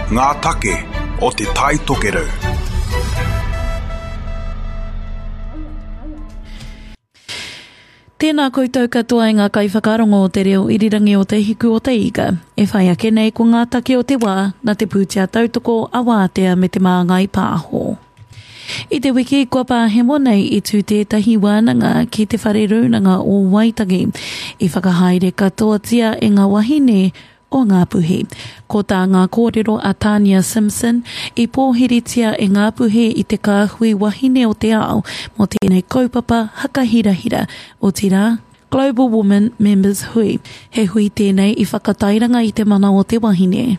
Ngā take o Te Tai Tokerau. Tēnā koutou katoa e ngā kaiwhakarongo o te reo irirangi o Te Hiku o Te Ika. E whai ake nei ko ngā take o te wā nā te pūtea tautoko a Wātea me Te Māngai Pāho. I te wiki kua pāhemo nei i tū tētahi wānanga ki Te Whare Rūnanga o Waitangi i whakahaere katoatia e ngā wahine o Ngāpuhi. Ko tā ngā kōrero a Tania Simpson, i pōhiritia e Ngāpuhi i te kāhui wahine o te ao mō tēnei kaupapa hakahirahira, otirā, Global Women Members Hui. He hui tēnei i whakatairanga i te mana o te wahine.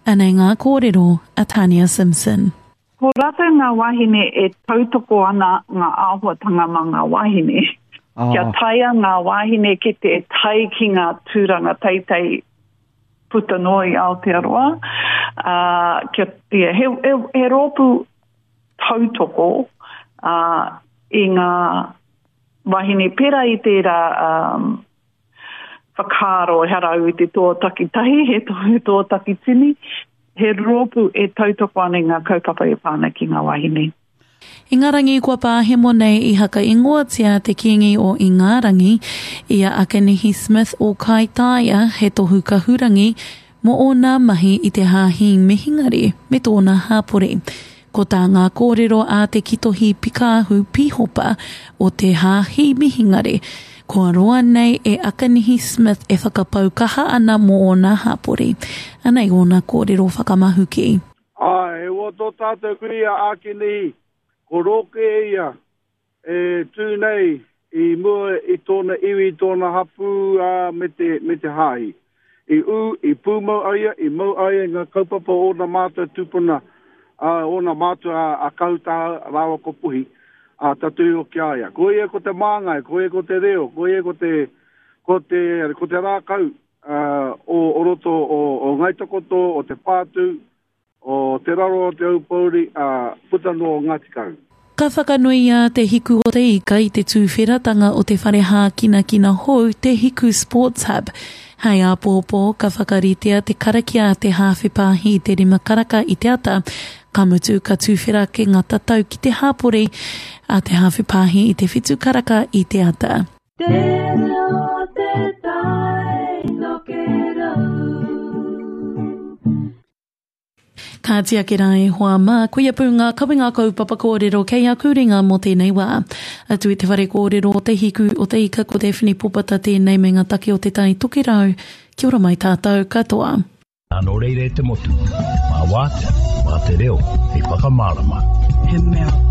Anei ngā kōrero a Tania Simpson. Ko rātou ngā wāhine e tautoko ana ngā āhuatanga mā ngā wāhine. Oh. Kia taea ngā wāhine ki te tae ki ngā tūranga teitei puta noa i Aotearoa. Uh, kia, yeah, he, he, he rōpū tautoko uh, i ngā wāhine pērā i tērā um, whakaaro ehara au i te toa takitahi, he toa, he toa takitini, he rōpū e tautoko ana i ngā kaupapa e pā ana ki ngā wāhine. Ingarangi kua pāhemo nei i hakaingoatia te Kīngi o Ingarangi i a Akanihi Smith o Kaitaia he tohu kahurangi mō ōna mahi i te Hāhi Mihingare me tōna hāpori. Ko tā ngā kōrero a Te Kitohi Pikāhu Pīhopa o te Hāhi Mihingare, kua roa nei e Akanihi Smith e whakapau kaha ana mō ōna hāpori. Anei ōna kōrero whakamahuki. Āe, he wā tō tātou kui a Ākinihi, ko Rōke ia e tū nei i mua i tōna iwi, i tōna hapū, ā, me te, me te hāhi. I ū, i pūmau a ia, i mau a ia i ngā kaupapa o ōna mātua tūpuna, ā, ōna mātua a Kahutaha rāua ko Puhi, ā, tatū iho ki a ia. Ko ia ko te māngai, ko ia ko te reo, ko ia ko te, ko te, ko te rākau, ā, o, o roto o, o Ngāi Takoto, o Te Pātū, O Te Rarawa o Te Aupōuri, ā, puta noa o Ngāti Kahu. Ka whakanuia Te Hiku o te Ika i te tūwheratanga o te whare hākinakina hou Te Hiku Sports Hub. Hei āpōpō, ka whakaritea te karakia a te hāwhe pāhi i te rima karaka i te ata, ka mutu ka tūwhera ake ngā tatau ki te hāpori a te hāwhe pāhi i te whitu karaka i te ata. Te reo te tai tokerau. Kāti ake rā e hoa mā, koia pū ngā kawenga kaupapa kōrero kei aku ringa mō tēnei wā. Atu i te whare kōrero o Te Hiku o Te Ika ko Daphne Popata tēnei me ngā take o Te Tai Tokerau. Kia ora mai tātou katoa. Nā nō reira e te motu, mā Wātea, mā te reo hei whakamārama. He mea.